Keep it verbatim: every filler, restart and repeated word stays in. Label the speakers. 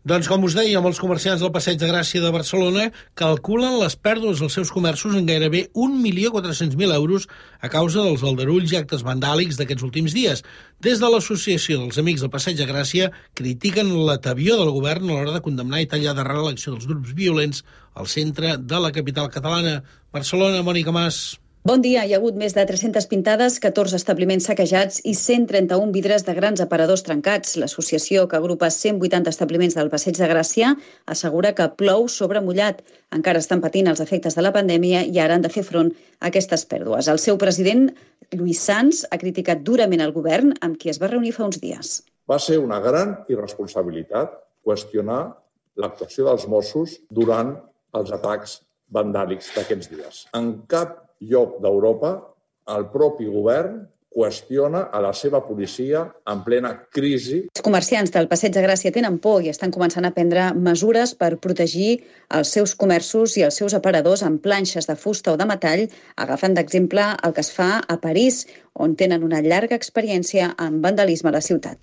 Speaker 1: Doncs com us deia, molts comerciants del Passeig de Gràcia de Barcelona calculen les pèrdues als seus comerços en gairebé un milió quatre-cents mil euros a causa dels aldarulls i actes vandàlics d'aquests últims dies. Des de l'Associació dels Amics del Passeig de Gràcia critiquen l'atavió del govern a l'hora de condemnar i tallar d'arrel l'acció dels grups violents al centre de la capital catalana. Barcelona, Mònica Mas.
Speaker 2: Bon dia. Hi ha hagut més de tres-centes pintades, catorze establiments saquejats i cent trenta-un vidres de grans aparadors trencats. L'associació, que agrupa cent vuitanta establiments del Passeig de Gràcia, assegura que plou sobre mullat. Encara estan patint els efectes de la pandèmia i ara han de fer front a aquestes pèrdues. El seu president, Lluís Sans, ha criticat durament el govern, amb qui es va reunir fa uns dies.
Speaker 3: Va ser una gran irresponsabilitat qüestionar l'actuació dels Mossos durant els atacs vandàlics d'aquests dies. En cap lloc d'Europa, el propi govern qüestiona a la seva policia en plena crisi.
Speaker 2: Els comerciants del Passeig de Gràcia tenen por i estan començant a prendre mesures per protegir els seus comerços i els seus aparadors amb planxes de fusta o de metall, agafant d'exemple el que es fa a París, on tenen una llarga experiència en vandalisme a la ciutat.